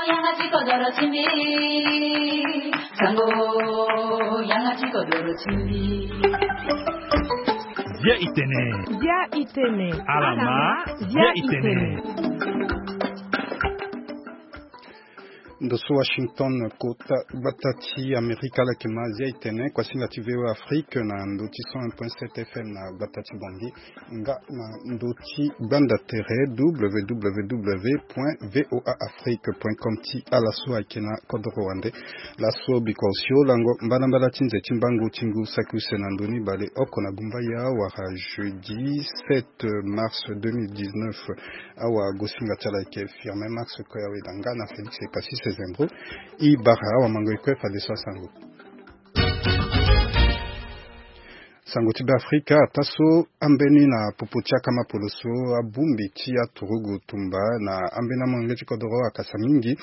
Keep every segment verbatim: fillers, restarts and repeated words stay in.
Yanga ti kodoro ti mbi. Sango, yanga ti kodoro ti mbi. Bia itene. Bia itene. Alama, bia itene. Ndo so Washington, kota gbata ti Amerika, ala yeke ma Zia itene, kuasinga ti V O A Afrique na ndo ti cent un point sept F M na gbata ti Bangui, nga na ndo ti gbanda tere, W W W point V O A Afrique point com, ti ala so ayeke na kodoro wande. Laso bikua osio lango mbalambala ti nze ti mbangu ti ngu saki use na ndo ni bale oko na gumbaya wala jeudi sept mars deux mille dix-neuf. Awagosinga ti ala ayeke Firmin Max Koyaweda nga na Félix Ekasise Zembro. E bara awamango e kue fadeso asango. Sango ti Beafrika, ataa so ambeni na popo ti akama poloso, abongbi ti aturugu tumba na ambeni amolenge ti kodoro akasa mingi.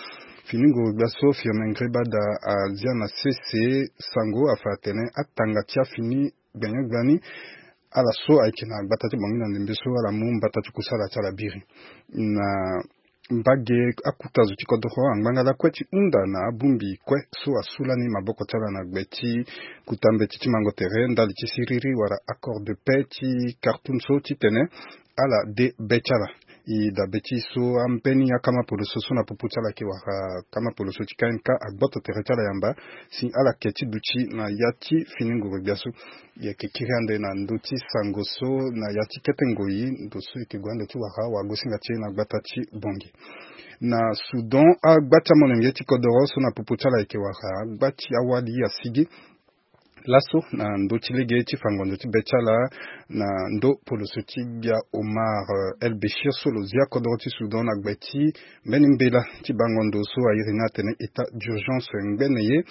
Fini nguru-gbia so Firmin Ngrébada azia na sese sango afa atene atanga ti afini gbene gbani, ala so ayeke na gbata ti Bangui na ndembe so ala mu mbata ti kusala ti ala biri. Na mbage, akuta zo ti kodoro angbanga lakue ti hunda na abongbi kue so asu lani maboko ti ala na gbe ti kuta mbeti ti mango tere ndali ti siriri wala accord de paix ti Khartoum so titene ala de be ti ala. E dabe ti so ambeni akama poloso so na popo ti ala ayeke wara akama poloso ti K M K agboto tere ti ala yamba si ala ke ti duti na ya ti fini nguru-gbia so. E yeke kiri ande na ndö ti sango so na ya ti kete ngoi, ndo so e yeke gue ande ti wara awagosinga ti e na gbata ti Bangui. Na Soudan, agba ti amolenge ti kodoro so na popo ti ala ayeke wara agba ti awali asigi. Laso na ndö ti lege ti fa ngonzo ti be ti ala na ndö poloso ti gbia Omar, eh, El Béchir so lo zia kodoro ti Soudan na gbe ti mbeni mbela ti bango ndo so a iri ni atene état d'urgence ngbene ye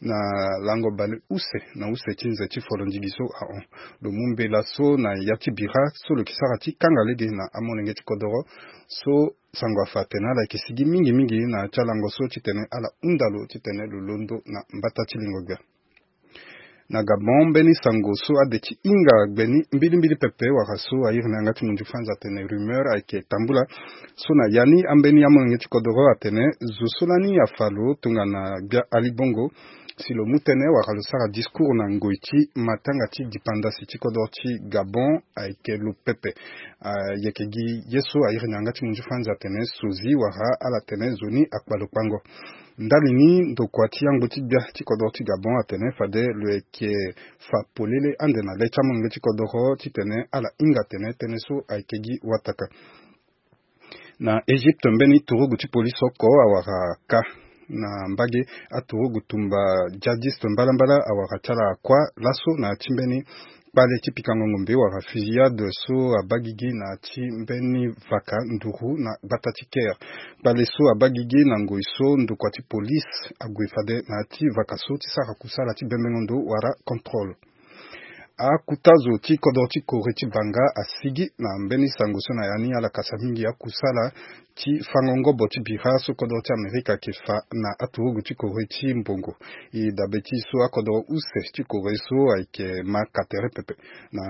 na lango baleuse na use ti nze ti folondigi so ahon. Lo mu mbela so na ya ti bira so lo yeke sara ti kanga lege na amolenge ti kodoro so sango afa atene ala yeke sigi mingi mingi na ya ti alango so titene ala hunda lo titene lo londo na mbata ti lingo gbia. Na Gabon, mbeni sango so ade ti hinga gbe ni mbilimbili pepe wala so a iri ni yanga ti munzu fanzi atene rumeur ayeke tambula. So na ya ni ambeni amolenge ti kodoro atene zo so lani afa lo tongana gbia Ali Bongo si lo mu tënë wala lo sara discours na ngoi ti matanga ti dipandasi ti kodoro ti Gabon ayeke lo pepe. Ayeke gi ye so a iri ni yanga ti munzu fanzi atene sozi wala ala tene zo ni akpa lo kpango. Ndali ni ndokua ti ango ti gbia ti kodoro ti Gabon atene fade lo yeke fa polele ande na le ti amolenge ti kodoro titene ala hinga tene tënë so ayeke gi wataka. Na Egypte, mbeni turugu ti polisi oko awara ka na mbage aturugu tumba djihadiste mbalambala awara ti ala akua laso na ya ti mbeni kpale ti pikango ngombe wala fusillade so abaa gigi na ya ti mbeni vaka nduru na gbata ti Caire. Kpale so abaa gigi na ngoi so ndokua ti polisi ague fade na ya ti vaka so ti sara kusala ti bembengo ndo wala contrôle. Akuta zo ti kodro ti Corée ti banga asigi na mbeni sango so na ya ni ala kasa mingi akusala ti fango ngobo ti bira so kodro ti Amerika ayeke fa na aturugu ti Corée ti mbongo. E dabe ti so akodro use ti Corée so ayeke ma ka tere pepe na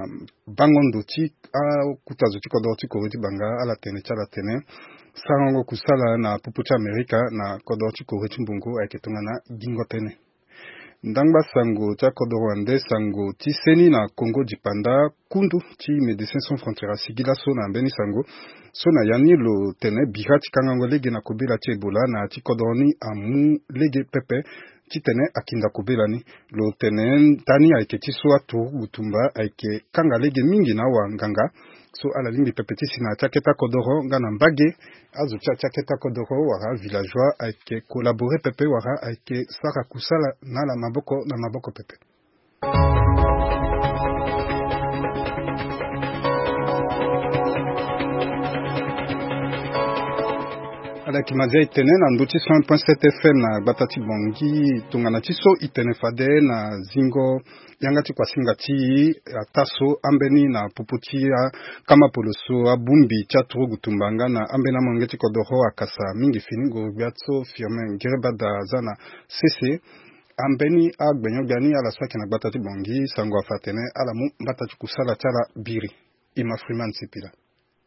bango ndo ti akuta zo ti kodro ti Corée ti banga ala tene ti ala tene sarango kusala na popo ti Amerika na kodro ti Corée ti mbongo ayeke tongana gingo tënë. Ndangba sango ti akodro wande sango ti seni na Congo dipanda, kundu ti Médecins Sans Frontières asigi laso na mbeni sango so na ya ni lo tene bira ti kangango lege na kobela ti Ebola na ya ti kodro ni amu lege pepe titene akinda kobela ni. Lo tene ndani ayeke ti so aturugu tumba ayeke kanga lege mingi na awanganga so ala lingbi pepe ti si na ya ti akete akodoro nga na mbage azo ti ya ti akete akodoro wala avillageois ayeke collaborer pepe wala ayeke sara kusala na ala maboko na maboko pepe. Ala yeke ma Zia e tene na ndö ti cent un point sept F M na gbata ti Bangui tongana ti so e tene fade na zingo yanga ti kuasinga ti e ataa so ambeni na popo ti akama poloso abongbi ti aturugu tumba nga na ambeni amolenge ti kodoro akasa mingi fini nguru-gbia so Firmin Ngirebada aza na sese. Ambeni agbenyo-gbia ni ala so ayeke na gbata ti Bangui sango afa atene ala mu mbata ti kusala ti ala biri. Ima Freeman Sipila.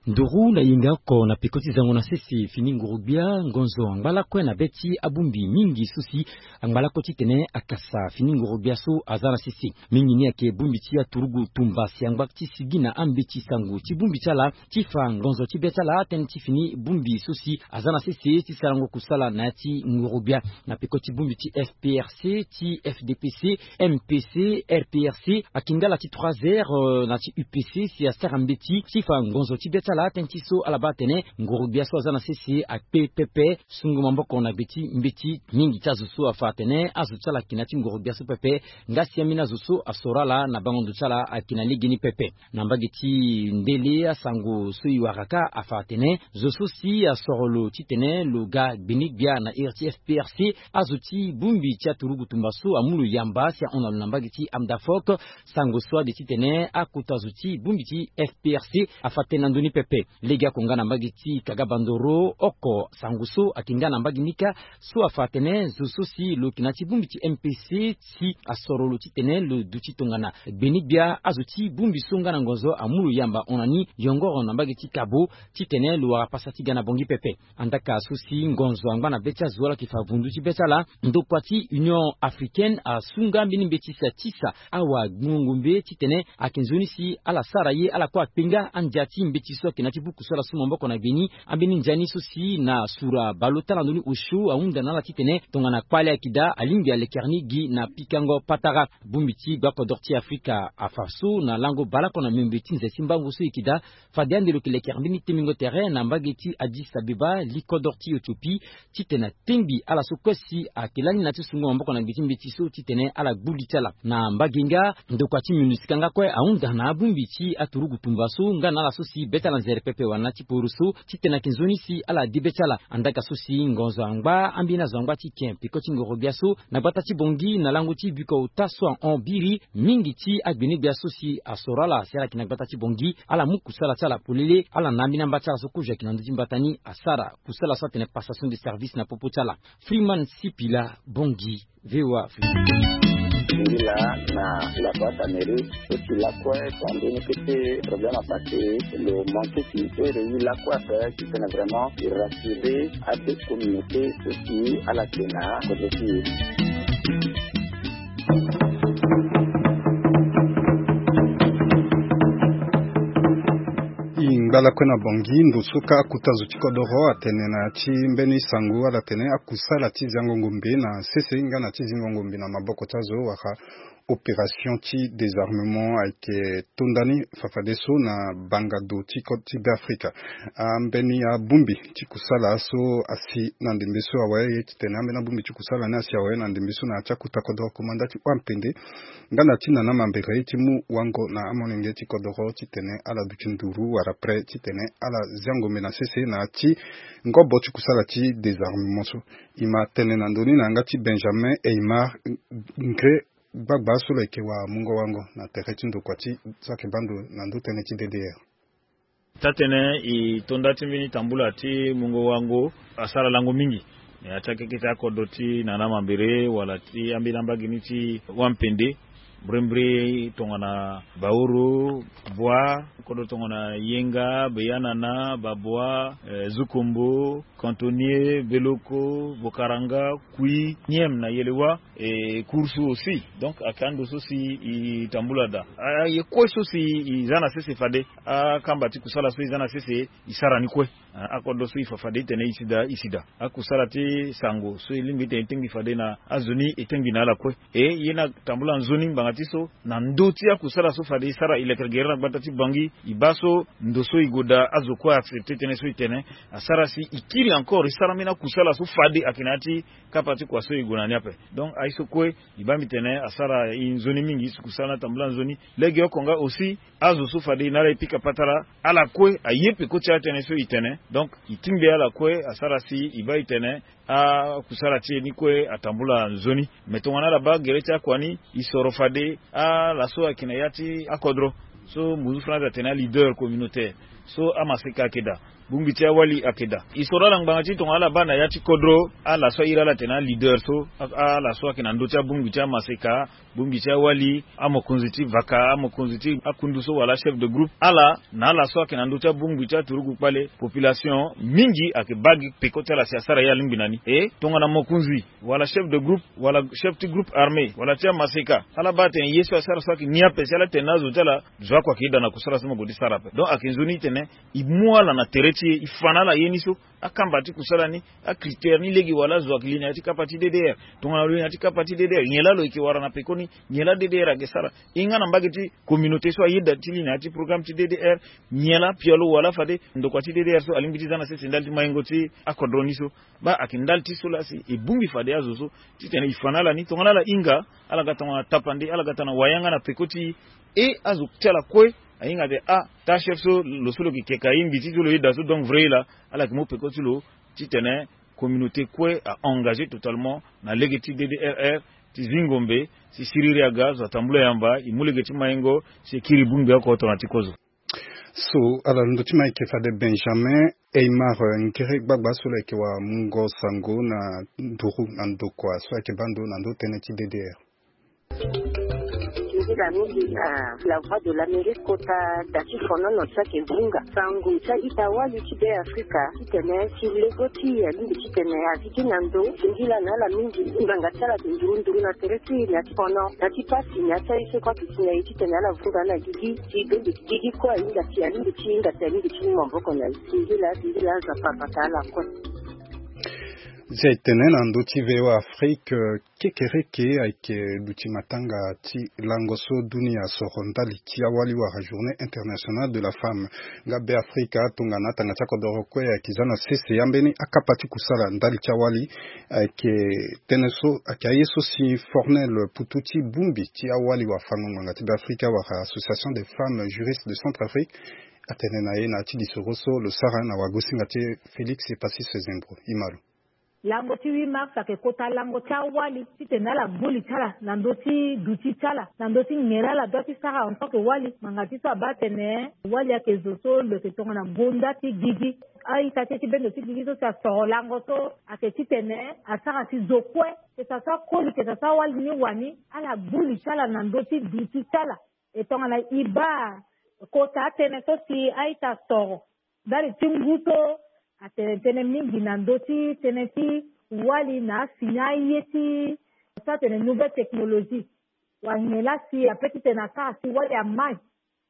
Nduru na yenga oko na peko ti zango na sese fini nguru-gbia, ngonzo angba lakue na be ti abongbi mingi so si angba lakue titene akasa fini nguru-gbia so aza na sese. Mingi ni ayeke bongbi ti aturugu tumba si angba ti sigi na ambeti sango ti bongbi ti ala ti fa ngonzo ti be ti ala tënë ti fini bongbi so si aza na sese ti sarango kusala na ya ti nguru-gbia. Na peko ti bongbi ti F P R C, ti F D P C, M P C, R P R C, ayeke nga ala ti trois R, euh, na ti U P C si asara mbeti ti fa ngonzo ti be ti ala tënë ti so ala baa atene nguru-gbia so aza na sese akpe pepe. Sungo maboko na gbe ti mbeti mingi ti azo so afa atene azo ti ala ayeke na ya ti nguru-gbia so pepe. Nga si ambeni azo so asoro ala na bango ndo ti ala ayeke na legeni pepe. Na mbage ti ndele asango so e wara kâ afa atene zo so si asoro lo titene lo ga gbene-gbia na ere ti F P R C, azo ti bongbi ti aturugu tumba so amu lo yamba si ahon na lo na mbage ti Amdafok. Sango so ade titene akota zo ti bongbi ti F P R C afa tënë na ndö ni pepe. Lege oko nga na mbage ti Kaga Bandoro oko sango so ayeke nga na mbage ni kâ so afa atene zo so si lo yeke na ya ti bongbi ti M P C si asoro lo titene lo duti tongana gbene-gbia azo ti bongbi so nga na ngonzo amu lo yamba hon na ni yongoro na mbage ti Kabo titene lo wara pasa ti ga na Bangui pepe. Andaka so si ngonzo angba na be ti azo ala yeke fa vundu ti be ti ala, ndokua ti Union Africaine asu nga mbeni mbeti si atisa awa gbungo ngombe titene ayeke nzoni si ala sara ye ala kue akpe nga andia ti mbeti so ayeke na ya ti buku so ala su maboko na gbe ni. Ambeni ndia ni so si na sura baleota na ndö ni osio ahunda na ala titene tongana kpale ayeke daa alingbi alekere ni gi na pikango patara. Bongbi ti gbakodoro ti Afrika afa so na lango baleoko na miombe ti nze ti mbango so e yeke daa fade ande lo yeke lekere mbeni tengbingo tere na mbage ti Addis Abeba, likodoro ti Ethiopie, titene atengbi ala so kue si ayeke lani na ya ti sungo maboko na gbe ti mbeti so titene ala gbu li ti ala. Na mbage nga ndokua ti MINUSCA nga kue ahunda na abongbi ti aturugu tumba so nga na ala so si be ti ala nzere pepe wala na ya ti poro so titene ayeke nzoni si ala de be ti ala. Andaka so si ngonzo angba ambeni azo angba ti ken peko ti ngoro-gbia so na gbata ti Bangui na lango ti biko ota so ahon biri mingi ti agbene-gbia so si asoro ala si ala yeke na gbata ti Bangui, ala mu kusala ti ala polele, ala na ambeni amba ti ala so kozo ayeke na ndö ti mbata ni asara kusala so atene passation de service na popo ti ala. Freeman Sipila, Bangui, V O A Afrique. Singila na la boîte à mairie, so si lakue tongana mbeni kete problème apassé, lo manqué ti ere ye lakue ape titene vraiment e rassurer ade communauté so si ala yeke na kodro ti e. E ngba lakue na Bangui, ndo so kâ akota zo ti kodoro atene na ya ti mbeni sango ala tene akusala ti ziango ngombe na sese nga na ti zingo ngombe na maboko ti azo wala opération ti désarmement ayeke tonda ni fafadeso na banga do ti côte ti Beafrika. Ambeni abongbi ti kusala so asi na ndembe so awe ye titene ambeni abongbi ti kusala ni asi awe na ndembe so na ya ti akota kodoro komanda ti Wampende nga na ti Nana Mambere ti mu wango na amolenge ti kodoro titene ala duti nduru wala prêt titene ala zia ngombe na sese na ya ti ngobo ti kusala ti désarmement so. E ma tene na ndö ni na yanga ti Benjamin Eymar Ngre, gbagba so lo yeke wa mungo wango na tere ti ndokua ti so ayeke baa ndo na ndö tënë ti D D R. Taa-tënë e to nda ti mbeni tambula ti mungo wango asara lango mingi na ya ti akeke ti akodro ti Nana Mambere wala ti ambeni ambage ni ti Wampende. Mbrimbri tongana Baoro, Bua, kodro tongana Yenga, Beyanana, Babua, eh, Zukombo, Cantonnier, Beloko, Bokaranga, Kui, Niem na Yelewa, e Kursu aussi. Donc ayeke ando so si e tambula daa. Aye kue so si e za na sese fade akamba ti kusala so e za na sese e sara ni kue. Ah, akodro so e fa fade e tene e si daa, e si daa. Akusala ti sango so e lingbi e tene e tengbi fade na azo ni e tengbi na ala kue. E ye ni atambula nzoni ngbanga ti so na ndö ti akusala so fade e sara e lekere gere na gbata ti Bangui, e baa so ndo so e gue daa azo kue a accepter tënë so e tene. Asara si e kiri encore e sara mbeni akusala so fade ayeke na ya ti kapa ti kua so e gue na ni ape. Donc aye so kue e baa mbi tene asara e nzoni mingi, e si kusala ni atambula nzoni. Legeoko nga aussi azo so fade e na ala e pika patara, ala kue aye peko ti atënë so e tene. Donc e tingbi ala kue asara si e baa e tene akusala ti e ni kue atambula nzoni. Me tongana ala baa gere ti akua ni e soro fade ala so ayeke na ya ti akodro so muzu France atene aleader communautaire. So amaseka ayeke daa, bongbi ti awali ayeke daa. E soro ala ngbanga ti tongana ala baa na ya ti kodro ala so ahiri ala atene aleader so, ala so ayeke na ndö ti abongbi ti amaseka, bongbi ti awali, amokonzi ti vaka, amokonzi ti akundu so wala chef de groupe, ala na ala so ayeke na ndö ti abongbi ti aturugu kpale, population mingi ayeke baa gi peko ti ala si asara ye alingbi na ni. E tongana mokonzi wala chef de groupe wala chef ti groupe armé wala ti amaseka, ala baa atene ye so asara so ayeke ni ape si ala tene na azo ti ala, zo oko ayeke daa na kusala so mo gue ti sara ape. Donc ayeke nzoni ti tene e mu ala na tere ti e, e fa na ala ye ni so, akamba ti kusala ni, acritère ni lege wala azo ayeke li na ya ti kapa ti D D R. Tongana lo li na ya ti kapa ti D D R, nyen laa lo yeke wara na pekoni? Nyen laa D D R ayeke sara? E nga na mbage ti communauté so ayeda ti li na ya ti programme ti D D R, nyen laa pialo wala fade ndokua ti D D R so alingbi ti za na sese ndali ti maingo ti akodro ni so? Baa ayeke ndali ti so laa si e bongbi fade azo so titene e fa na ala ni, tongana ala hinga, ala ga tongana tapande, ala ga tongana wayanga na peko ti e. E azo ti ala kue ahinga ate, ah, taa chef so, lo so lo yeke keke aye mbi ti so lo yeda so, donc vrai laa ala yeke mu peko ti lo titene communauté kue a engagé totalement na lege ti D D R R, ti zi ngombe, si siriri aga, zo atambula yamba, e mu lege ti maingo, si e kiri bongbi oko tongana ti kozo. So ala londo ti ma ayeke fade Benjamin Eymar, eh, ngere gbagba so lo yeke wara mungo sango na nduru na ndokua so ayeke baa ndo na ndo tënë ti D D R. Nzila mingi na La Voix de l'Amérique kota da ti fonono so ayeke vunga sango ti a-ita wali ti Be Afrika titene si lego ti e alingbi titene azi gi na ndo. Singila na ala mingi ngbanga ti ala ayeke nduru nduru na tere ti e, na ya ti fono, na ya ti pasi, na ya ti aye so kue ayeke si na e titene ala vunga na gigi. Ti bembe ti gigi kue ahinga si alingbi ti hinga si alingbi ti mu maboko na e. Singila, singila, Nzapa abata ala kue. Zia e tene na ndö ti V O A Afrique, eh, kekereke ayeke duti matanga ti lango so dunia asoro ndali ti awali wala Journée Internationale de la Femme. Nga Be Afrika tongana atanga ti akodoro kue ayeke za na sese ya mbeni akapa ti kusala ndali ti awali. Ayeke tënë so ayeke aye so si Fornel Putu ti bongbi ti awali wala fango ngbanga ti Be Afrika wala Association des Femmes Juristes de Centrafrique atene na e na ya ti lisoro so lo sara na wagosinga ti e Félix Epasis Zembro. E ma lo. Lango ti huit mars ayeke kota lango ti awali titene ala gbu li ti ala na ndö ti duti ti ala, na ndö ti nyen laa ala doit ti sara en tant que wali. Ngbanga ti so abaa atene wali ayeke zo so lo yeke tongana gonda ti gigi. A-ita ti e ti bendo ti gigi so si asoro lango so ayeke titene asara si zo kue, que ça soit koli, que ça soit wali ni wani, ala gbu li ti ala na ndö ti duti ti ala. E tongana e baa kota atënë so si a-ita asoro ndali ti ngu so atene tënë mingi na ndö ti tënë ti wali na asini aye ti so atene nouvelle technologie. Wala nyen laa si ape titene asara si wali amai,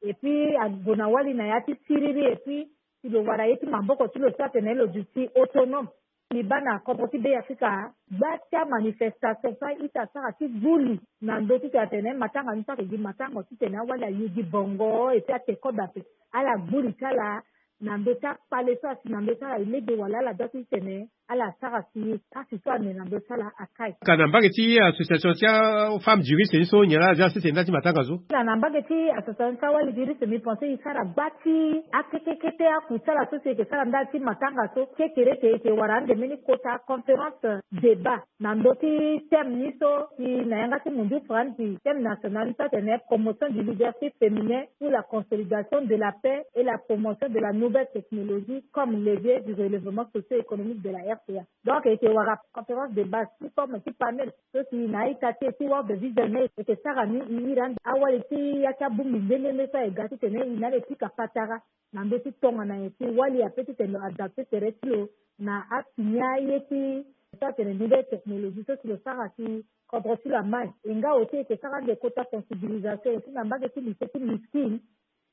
et puis ague na wali na ya ti siriri, et puis si lo wara ye ti maboko ti lo so atene lo duti autonome. Mbi baa na kodro ti Be Afrika, gba ti amanifestation so a-ita asara ti gbu li na ndö ti tene atene matanga ni so ayeke gi matanga titene awali aye gi bongo, et puis ate kobe ape. Ala gbu li ti ala na ndö ti akpale so asi na ndö ti ala, e lege wala ala doit ti tene ala sara si pasi so ane na ndö ti ala akai. Ka na mbage ti association ti afemme juriste ni so, nyen laa aza sese ndali ti matanga so? Na, na mbage ti association ti awali juriste, mbi pense e sara gba ti akete kete aku ti ala so si e yeke sara ndali ti matanga so. Kekereke e yeke wara ande mbeni kota conférence débat na ndö ti thème ni so si na yanga ti mundu franzi, thème national ni so atene promotion du leadership féminin pour la consolidation de la paix et la promotion de la nouvelle technologie comme levier du relèvement socio-économique de la R C A. Donc e yeke wara conférence de base ti forme ti panel so si na a-ita ti e ti World Vision ni e yeke sara ni, e iri ande awali ti ya ti abongbi nde nde nde so aye ga titene e na ala e pika patara na ndö ti tongana nyen si wali ape titene lo adapte tere ti lo na asini aye ti so atene nouvelle technologie so si lo sara si kodro ti lo amai. E nga aussi e yeke sara ande kota sensibilisation aussi na mbage ti lycée ti Miskine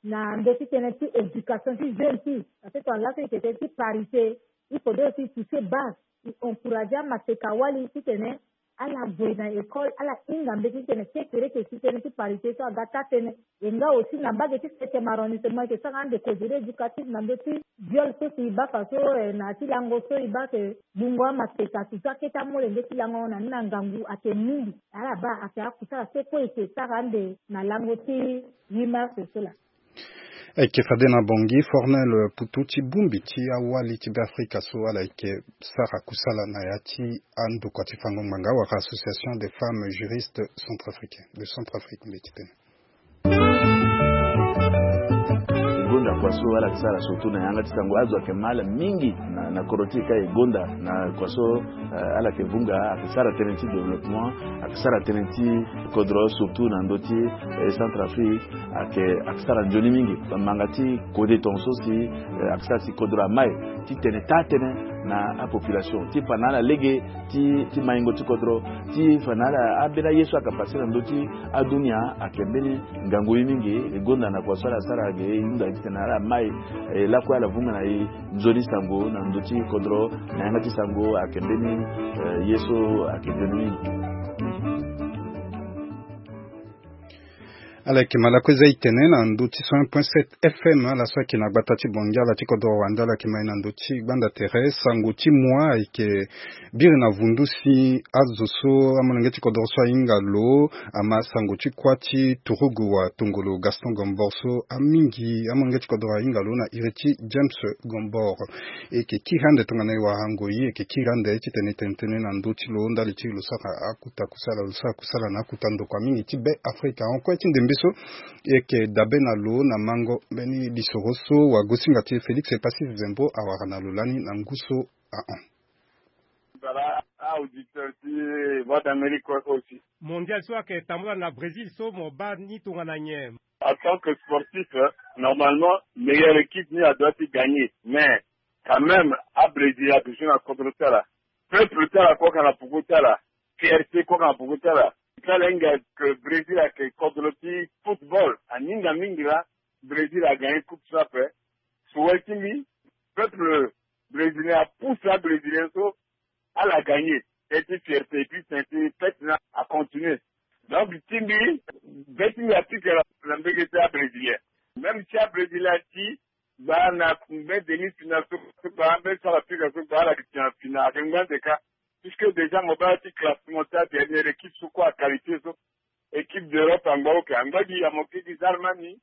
na ndö ti tënë ti éducation ti jeune ti e. Parce que tongana laso e yeke tënë ti parité, il faudrait aussi toucher base, e encourager amaseka wali titene ala gue na école, ala hinga mbeti titene kekereke si tënë ti parité so aga taa tënë. E nga aussi na mbage ti septième arrondissement e yeke sara ande causerie éducative na ndö ti viol so si e baa fa so, eh, na ya ti lango so e baa ke gbungo amaseka, surtout akete amolenge ti lango na ni na ngangu ayeke mingi. Ala baa ayeke akusala so kue e yeke sara ande na lango ti huit mars so laa. Ayeke fade na Bangui, Fornel Putu ti bongbi ti awali ti Be Afrika so ala yeke sara kusala na ya ti andokua ti fango ngbanga wala Association des Femmes Juristes Centrafricaines de Centrafrique, mbeti tënë. Gonda Kua so ala yeke sara surtout na yanga ti sango, azo ayeke mal mingi na, na kodro ti e ka e gonda na kua so, eh, ala yeke vunga, ayeke sara tënë ti développement, ayeke sara tënë ti kodro surtout na ndö ti, eh, Centrafrique, ayeke, ayeke sara nzoni mingi. Manga ti kode tongaso si, eh, ayeke sara si kodro amai ti tene taa-tënë na apopulation ti fa na ala lege ti, ti maingo ti kodro, ti fa na ala ambeni aye so ayeke pase na ndö ti adunia, ayeke mbeni ngangu ye mingi. E gonda na kua so ala sara ge, e hunda titene ala mai, eh, lakue ala vunga na e nzoni sango na ndö ti kodro, na yanga ti sango ayeke mbeni, eh, ye so ayeke nzoni mingi. Ala yeke ma lakue za e tene na ndö ti cent point sept F M, ala so ayeke na gbata ti Bongi, ala ti kodro Rwanda, ala yeke ma e na ndö ti gbanda tere. Sango ti mua ayeke biri na vundu si azo so amolenge ti kodro so ahinga lo ama sango ti kuâ ti turugu wa tongolo Gaston Gombor so amingi amolenge ti kodro ahinga lo na iri ti James Gombor. E yeke kiri ande tongana e wara ngoi, e yeke kiri ande titene e tene tënë na ndö ti lo ndali ti lo sara akuta kusala, lo sara kusala na akuta ndokua mingi ti Be Afrika. Hon kue ti ndembe so e yeke dabe na lo na mango mbeni lisoro so wagosinga ti e Félix Epassis Zembo awara na lo lani na ngu so ahon. Voilà, auditeur ti Voix d'Amérique aussi. Mondial so ayeke tambula na Brésil so mo baa ni tongana nyen? En tant que sportif, euh, normalement, meilleure équipe ni adoit ti gagner. Mais quand même, a Brésil adusu na kodro ti ala. Peuple ti ala kue ka na poko ti ala. Fierté kue ka na poko ti ala. Ti ala hinga que Brésil ayeke kodro ti football. Aninga mingi laa Brésil agagné coupe so ape. Souhait ti mbi, peuple brésilien apousse abrésilien so ala gagné. Tënë ti fierté, et puis tënë ti fête ni acontinué. Donc ti mbi, be ti mbi apika na mbege ti abrésilien. Même si abrésilien ati gba na mbeni demi-finale so, so gba mbeni so ala pika so gba ala yeke tene na finale ayeke ngbande kâ. Puisque déjà mo baa ti classement ti adernière équipe so kue aqualifié so, équipe d'Europe angba oke, angba gi ya mo ke gi Allemagne.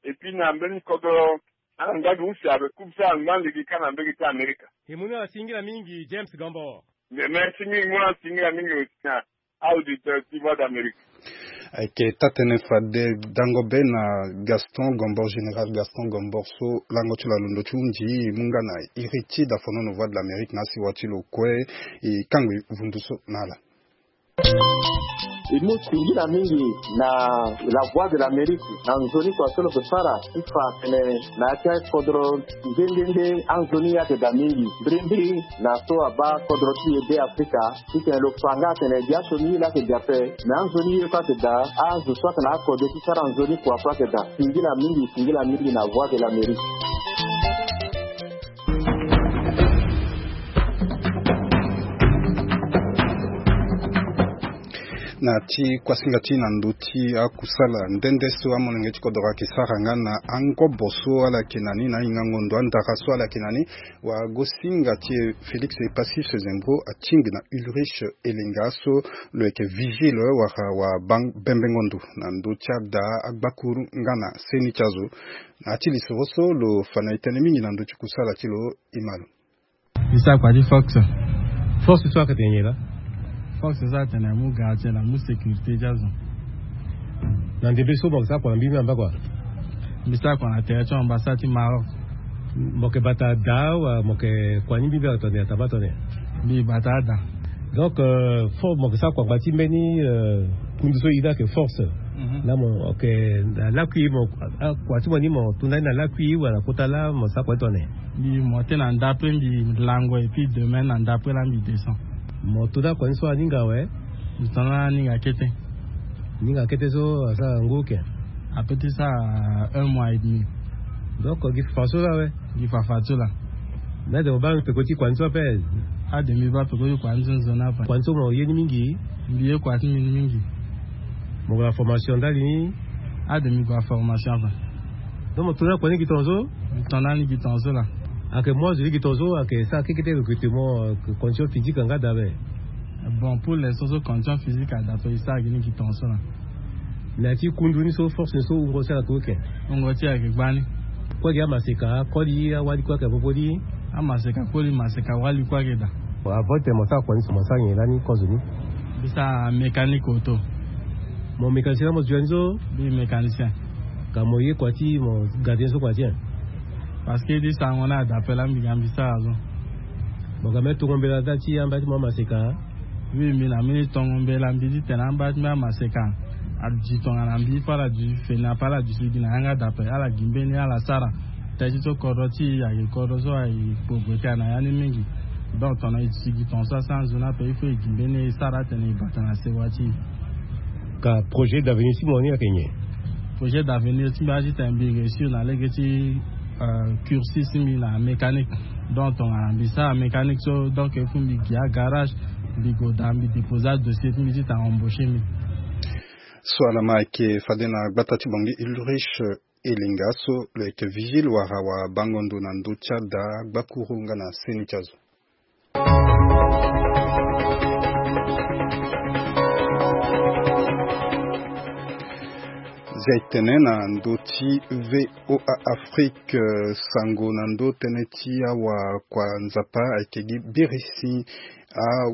Et puis na mbeni kodro ala ngba gi use ape, coupe so angba lege kâ na mbege ti Amerika. E mu ni ala singila mingi James Gombor. Mais merci mingi, mu ala singila mingi aussi na auditeur ti Voix d'Amérique. Ayeke taa-tënë fade dango be na Gaston Gombor, général Gaston Gombor so lango ti lo alondo ti hundi, e mu nga na iri ti dafonono Voix de l'Amérique na asiwa ti lo kue. E kango e vundu so na ala. E mu singila mingi na La Voix de l'Amérique na nzoni kua so lo yeke sara ti fa atene na ya ti akodro nde nde nde anzoni ye ayeke daa mingi. Mbirimbiri na so abaa kodro ti e Be Afrika, titene lo fa nga atene biaso ni ye laa ayeke daa ape, me anzoni ye kue ayeke daa, azo so atene akode ti sara nzoni kua kue ayeke daa. Singila mingi, singila mingi na Voix de l'Amérique. Na ti kuasinga ti na ndö ti akusala nde nde so amolenge ti kodro ayeke sara nga na angobo so ala yeke na ni na ahingango ndo andara so ala yeke na ni, wagosinga ti e Félix Epassis Zembo atingbi na Ulrich Elenga so lo yeke vigile wala wa bang-, bembengo ndo na ndö ti ada agbakuru nga na seni ti azo. Na ya ti lisoro so lo fa na e tënë mingi na ndö ti kusala ti lo, e ma lo. Mbi sara kua ti force. Force so ayeke tene nyen laa? Force so atene amu gardien, amu sécurité ti azo. Na ndembe so mo yeke sara kua na mbi mbi amba kua? Mbi sara kua na tere ti ambassade ti Maroc. Mo yeke bata daa wala mo yeke kua ni mbi mbi ayeke tongana nyen, atambula tongana nyen? Mbi bata ada. Donc, euh, force mo yeke sara kua ngba ti mbeni, euh, kundu so e iri ayeke force. Mhm. Laa mo, ok, na lakui mo, ah, kua ti mo ni mo to ndani na lakui wala na kota laa mo sara kua ti tongana nyen? Mbi monté na ndapre, mbi lango, et puis demain na ndapre laa mbi descend. Mo to na kua ni so aninga awe? Mbi to na aninga kete. Aninga kete so asara ngu oke? Ape ti sara un mois et demi. Donc gi fafa so laa awe? Gi fafa so laa. Mais ade mo baa peko ti kua ni so ape? Ade mbi baa peko ti kua ni so nzoni ape. Kua ni so mo ye ni mingi? Mbi ye kua ti mbi ni mingi. Mo gue na formation ndali ni? Ade mbi gue na formation ape. Donc mo to na kua ni gi tongaso? Mbi to na ni gi tongaso laa. Ayeke mu azo ni gi tongaso, ayeke sara kekete recrutement, euh, condition physique nga daa ape? Bon, pour l'instant so condition physique ada ape, e sara gi ni gi tongaso laa. Na ya ti kundu ni so, force ni so, wungo ti ala ayeke oke? Wungo ti ala ayeke gbani. Kue gi amaseka, akoli, awali kue ayeke popo ni? Amaseka koli, maseka wali kue ayeke daa. Avant titene mo sara kua ni so, mo sara nyen lani kozo ni? Mbi sara mécanique auto. Mo mécanicien laa mo zo ya ni so? Mbi mécanicien. Ka mo ye kua ti mo gardien so kua ti nyen? Parce que ti sango ni ada ape laa mbi ga mbi sara so. Bon, ga mbi tongo mbela daa ti amba ti mo amaseka. Oui, mbi na mbeni tongo mbela mbi titene amba ti mbi amaseka. Adi tongana mbi fo ala duti feni ape ala duti gi na yanga dape ala gi mbeni ala sara. Teti so kodro ti e ayeke kodro so ayeke kpo gue ti ala na ya ni mingi. Donc tongana e duti gi tonga so asanzu ni ape il faut e gi mbeni e sara atene e bata na sewa ti e. Ka projet d'avenir ti mo ni ayeke nyen? Projet d'avenir ti mbi aye titene mbi réussir na lege ti cursus ti mbi na mécanique. Donc tongana mbi sara mécanique so donc il faut mbi gi agarage, mbi go daa mbi déposer adossier ti mbi titene embaucher mbi. So ala ma ayeke fade na gbata ti bongi Ulrich Elinga so lo yeke vigile wala wabango ndo na ndö ti ada gbakuru nga na seni ti azo. Zia e tene na ndö ti VOA Afrique, sango na ndö tënë ti awakua nzapa ayeke gi birisi a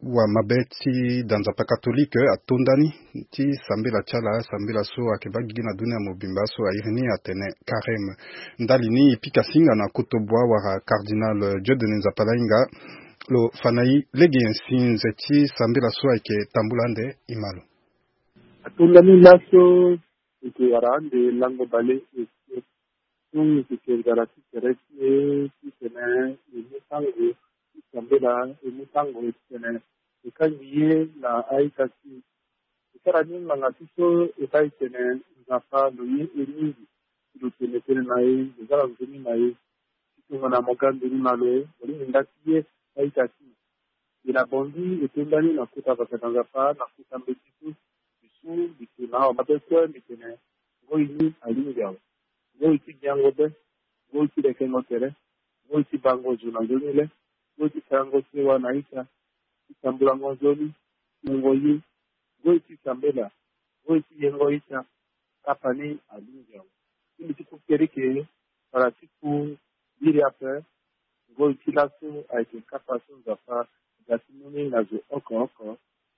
wa mabe ti da nzapa katolike atonda ni ti sambela ti ala sambela so ayeke baa gigi na dunia mobimba so airi ni atene kareme. Ndali ni e pika singa na kotoboa wala cardinal Dieudonné Nzapalainga. Lo fa na e lege nyen si nze ti sambela so ayeke tambula ande e ma lo. Atonda ni laso e ke wara ande lango bale. So e ke nzara ti tere ti e titene e mu sango ti sambela e mu sango titene e kangi ye na a-ita ti e. E sara ni ngbanga ti so e baa e tene Nzapa lo ye e mingi. Lo tene tënë na e lo za na nzoni na e. Ti tongana mo ga nduru na lo mo lingbi nda ti ye a-ita ti e. Mbi na bongi e tonda ni na kota vaka na Nzapa na kota mbeti so. Mbi su mbi tena awa mabe kue mbi tene ngoi ni alingbi awe. Ngoi ti biango be. Ngoi ti lekengo tere. Ngoi ti bango zo na nzoni le. Ngoi ti sarango sewa na ita. Ti sambulango nzoni. Ti wungo ye. Ngoi ti sambela. Ngoi ti yengo ita. Kapa ni alingbi awe. Ti mbi ti ku kereke wala ti ku biri ape. Ngoi ti laso ayeke kapa so Nzapa aga ti mu ni na zo oko oko.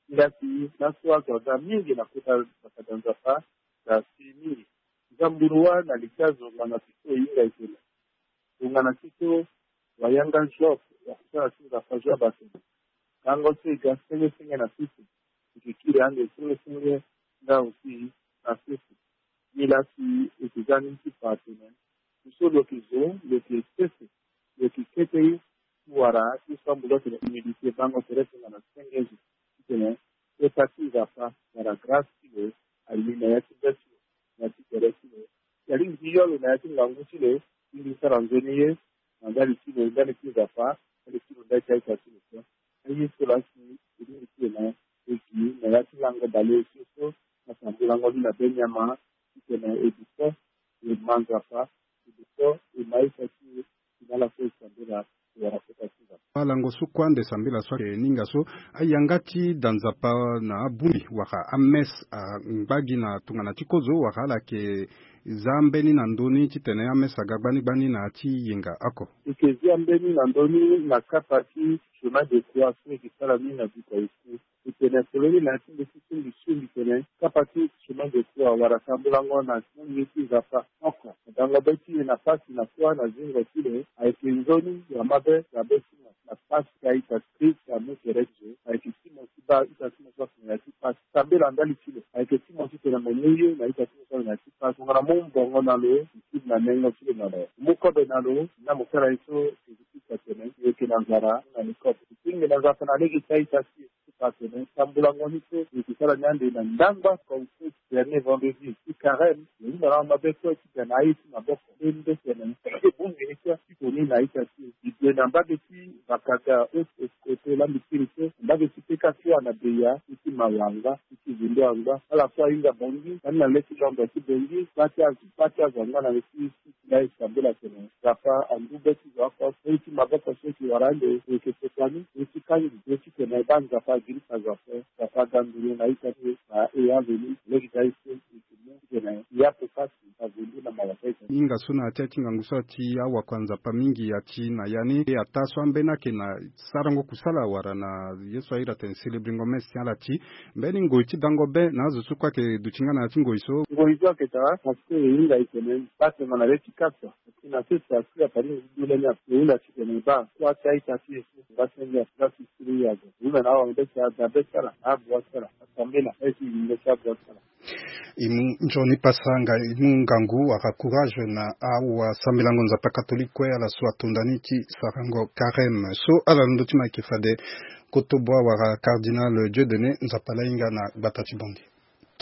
Nda si laso azo aga mingi na kota bakada Nzapa. Nda si mingi nzamburu wa na lege azo ngbanga ti so e hinga e tene. Tongana ti so wayanga Job wakusala ti Nzapa Job atene. Kango so e ga senge senge na sese e ke kiri ande senge senge nga aussi na sese. Nilaa si e ke za ni ti fa atene. Ti so lo ke zo lo ke sese lo ke kete ye ti wara ti so ambulu atene humilité bango tere tongana senge zo. Titene kota ti Nzapa wala grâce ti lo aye na ya ti be ti lo na ya ti tere ti lo. Si alingbi ti yo lo na ya ti ngangu ti lo ti mbi sara nzoni ye na ndali ti lo ndali ti Nzapa ndali ti lo ndali ti a-ita ti lo kue. Aye so laa si e lingbi ti lo na e gi na ya ti lango baleosio so na sambulango ni na be nyama titene e duko e ma Nzapa e duko e ma a-ita ti e. Ti na ala so e sambela e wara kota ti Nzapa. Alango so kue ande sambela so ayeke ninga so ayanga ti da Nzapa na abongbi wala amesse angba gi na tongana ti kozo wala ala yeke za mbeni na ndö ni titene amesse aga gbani gbani na ya ti yenga oko. E ke zia mbeni na ndö ni na kapa ti chemin de croix so e ke sara ni na Bukavu. E tene foloni na ya ti mbeti so mbi su mbi tene kapa ti chemin de croix wala sambulango na nzoni ti Nzapa oko. Dango be ti e na pasi na kuâ na zingo ti lo ayeke nzoni ya mabe ya be ti mo na pasi ti a-ita ti Kristo amu tere ti zo. Ayeke ti mo ti baa ita ti mo so ape na ya ti pasi. Sambela ndali ti lo ayeke ti mo titene mo mu ye na ita ti mo so ape na ya ti pasi. Tongana mo mu bongo na lo mo kiri na nengo ti lo na lo mo mu kobe na lo na mo sara ye so Jésus Kristo atene e yeke na nzara na nikobe. E kiri ngbene Nzapa na lege ti a-ita ti e. Ti fa atene sambulango ni so e yeke sara ni ande na ndangba conflit dernier vendredi ti carême. E hunda na amabe kue ti ga na aye ti maboko nde nde tene e bongbi ni kue ti koni na a-ita ti e. E gue na mbage ti Vakaga haute escote laa mbi kiri so na mbage ti peka ti wa na beya ti ti mawanga ti ti vindo angba ala so ahinga bongi ani na le ti lombe ti bongi kpa ti azo kpa ti azo angba na le ti ti ti la e sambela tene Nzapa andu be ti zo oko. Ye ti maboko so e ke wara ande e yeke pekua ni ye ti kangi ye titene e baa Nzapa agirisa zo ape. Nzapa aga nduru na a-ita ti e na e aveni lege ti aye so e ke mu titene e ape pasi azo ndu na mawa ti a-ita. Hinga so na ya ti aye ti ngangu so ati awakua Nzapa mingi ati na ya ni, e ataa so ambeni ayeke na sarango kusala wala na ye so ahiri atene célébringo messe ti ala ti mbeni ngoi ti dango be na azo so kue ayeke duti nga na ya ti ngoi so. Ngoi so ayeke daa parce que e hinga e tene baa tongana le ti kasa. Ati na sese ati apali ngu du lani ape e hunda ti tene baa kua ti a-ita ti e so nga senge ati nga sisiri azo e hunda na awangbe ti ada be ti ala na abua ti ala. Asambela aye ti yingo ti abua ti ala. E mu nzoni pasa nga e mu ngangu wala courage na awasambelango Nzapa catholique kue ala so atonda ni ti sarango carême so ala londo ti ma yeke fade. Koto bua wala cardinal Dieudonné Nzapa laa hinga na gbata ti Bongi.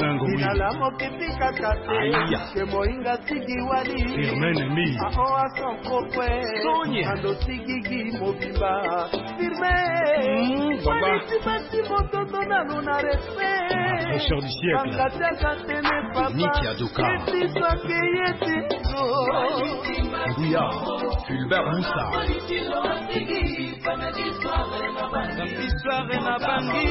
Ina la moke ti kaka te. Aya. Ke mohinga sigi wali. Firmene mi. Aoa son kokue. Sonia. Ando sigigi mobimba. Firme. Mm, baba. Wali ti basi motondo na lo na respect. Fraîcheur du siècle. Banga ti akatene papa. Niki Adoka. Yeti so ake yeti. Nguya. Fulbert Musa. Histoire na bangi.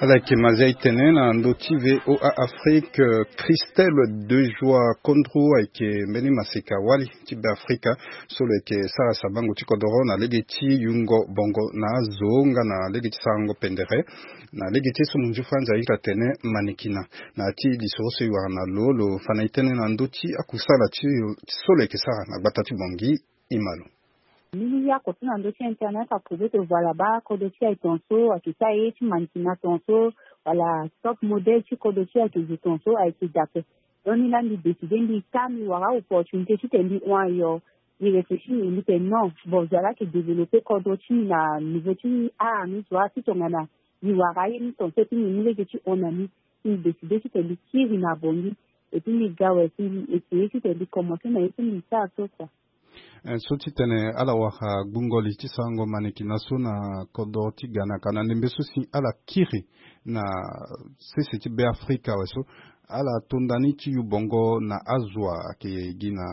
Ala yeke ma zia e tene na ndö ti V O A Afrique, Christelle Dejoie Kondrou ayeke mbeni maseka wali ti Beafrika so lo yeke sara sabango ti kodoro na lege ti yungo bongo na azo nga na lege ti sarango pendere na lege ti ye so munzu Franz ahiri atene manekina. Na ya ti lisoro so e wara na lo, lo fa na e tënë na ndö ti akusala ti so lo yeke sara na gbata ti Bongi. E ma lo. Mbeni yako so na ndö ti internet aprouve que voilà baa kodro ti aye tongaso ayeke sara ye ti mannequinat tongaso, wala top modèle ti kodro ti aye ayeke zo tongaso ayeke daa ape. Donc ni laa mbi décide mbi ka mbi wara opportunité titene mbi hon ayo. Mbi réfléchir mbi tene non, bon, zo wa laa ayeke développer kodro ti mbi na niveau ti art ni, zo wa si tongana mbi wara aye ni tongaso et puis mbi mu lege ti hon na ni. Si mbi décide titene mbi kiri na Bongi et puis mbi ga awe si mbi essayer titene mbi commencer na ye so mbi sara so kua. Eh, so ti tene ala wara gbungo li ti sarango mannequinat so na kodro ti Ghana ka na ndembe so si ala kiri na sese ti Beafrika awe so, ala tonda ni ti yu bongo na azo wa ayeke gi na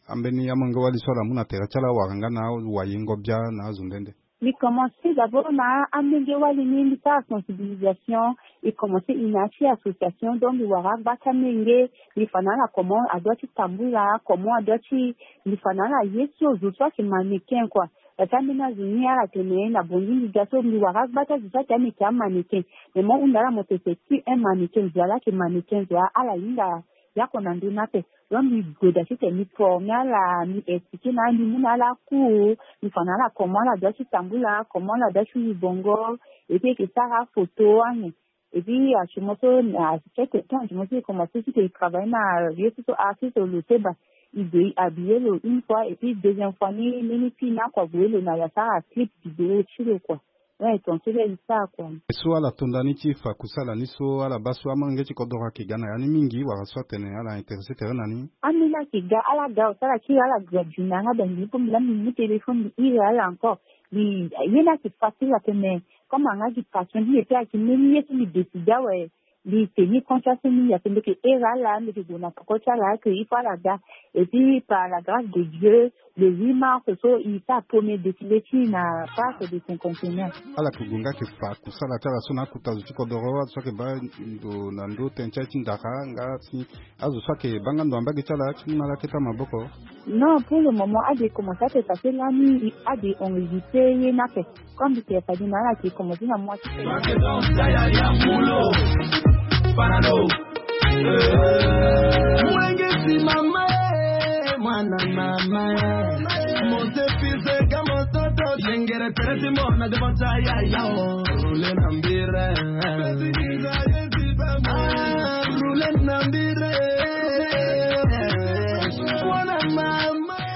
ambeni amolenge wali so ala mu na tere ti ala wara nga na awayengo bia na azo nde nde. Mbi commencer d'abord na amolenge wali ni, mbi sara sensibilisation. Mbi commencer ina ti association, donc mbi wara agba ti amolenge, mbi fa na ala comment adoit ti tambula, comment adoit ti, mbi fa na ala ye so zo so ayeke mannequin kua. Parce que ambeni azo ni ala tene na Bongi mbi ga so mbi wara agba ti azo so ayeke ameke amannequin. Mais mo hunda ala mo tene c'est qui un mannequin? Zo wa laa ayeke mannequin, zo wa ala hinga yako na ndö ni ape. Donc mbi gue daa titene mbi former ala, mbi expliquer na ala, mbi mu na ala cours, mbi fa na ala comment ala doit ti tambula, comment ala doit ti yu bongo, et puis e yeke sara photo anyen. Et puis asu mo so na quelques temps asu mo so e commencer titene e travailler na ye so so artiste Loseba. E gue e habiller lo une fois et puis deuxième fois ni mbeni fille ni akua gue lo na ya sara clip vidéo ti lo kua. Ouais, tongaso laa e sara kua. So ala tonda ni ti fa kusala ni so ala baa so amolenge ti kodoro ayeke ga na ya ni mingi wala so atene ala intéressé tere na ni? Ambeni ayeke ga, ala ga awe so ala kiri ala ga dina nga da ngi ni po mbi laa mbi mu téléphone mbi iri ala encore. Mbi ye ni ayeke facile ape mais comme anga gi passion ti mbi et puis ayeke mbeni ye so mbi décide awe. Mbi tenir conscience ti mbi ape, mbi yeke iri ala, mbi yeke gue na peko ti ala que il faut ala ga. Et puis par la grâce de Dieu, le huit mars so e sara premier défilé ti e na parc de cinquantenaire. Ala yeke gue nga yeke fa kusala ti ala so na akota zo ti kodoro, azo so ayeke baa ndo na ndö tënë ti aye ti ndara nga si azo so ayeke baa nga ndo na mbage ti ala ti mu na ala kete maboko. Non, pour le moment ade e commencer ape parce que lani ade e enregistrer ye ni ape. Comme mbi tene fade na ala ayeke commencer na mois ti. Wenge ti mama e, mwana mama e. Monte fils de Gamototo, yengere pere ti mona devant ta yaya o. Roule na mbire. Ah, roule na mbire. Mwana mama e.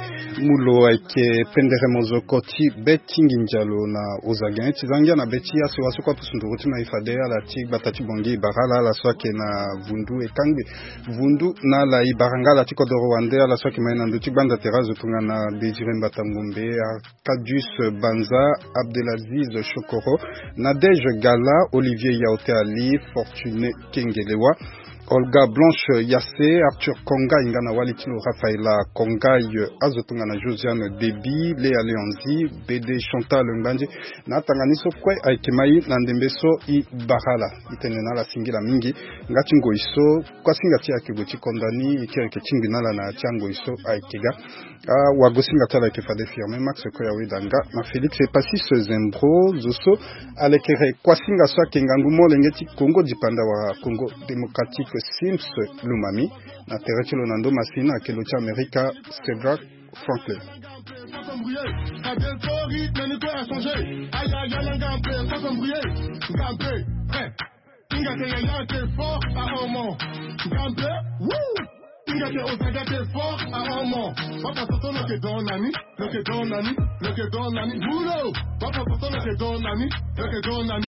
Mu lo ayeke pendere mozoko ti be ti nginza lo na oza gene ti zangia na be ti asewa so kue apusu nduru ti ma e fade ala ti gbata ti Bongi e bara ala, ala so ayeke na vundu e kangbi vundu na ala e bara nga ala ti kodoro wande, ala so ayeke ma e na ndö ti gbanda tere azo tongana Désiré Mbata Ngombe, Arcadius Banza, Abdelaziz Chokoro, Nadège Gala, Olivier Yaoté Ali, Fortuné Kengelewa. Olga Blanche Yasse, Arthur Kongai nga na wali ti lo Rafaela Kongai, azo tongana Josiane Debi, Lea Leonzi, Bede Chantal Ngbanje. Na atanga ni so kue ayeke ma i na ndembe so i bara ala. I tene na ala singila mingi. Nga ti ngoi so kuasinga ti e ayeke gue ti konda ni, e kiri yeke tingbi na ala na ya ti angoi so ayeke ga. Ah, wagosinga ti ala ayeke fade firme Max Koya Wedanga na Félix Epasis Zembro, zo so alekere kuasinga so ayeke ngangu molenge ti Congo dipanda wala Congo Démocratique, Sims Lumami. Na tere ti lo na ndo masina ayeke lo ti Amerika, Cedric Franklin. Inga ke yaya ke fort à homo. Ngambe, woo! Inga ke ozaga ke fort à homo. Papa Soso no ke don nani, no ke don nani, no ke don nani. Bulo! Papa Soso no ke don nani, no ke don nani.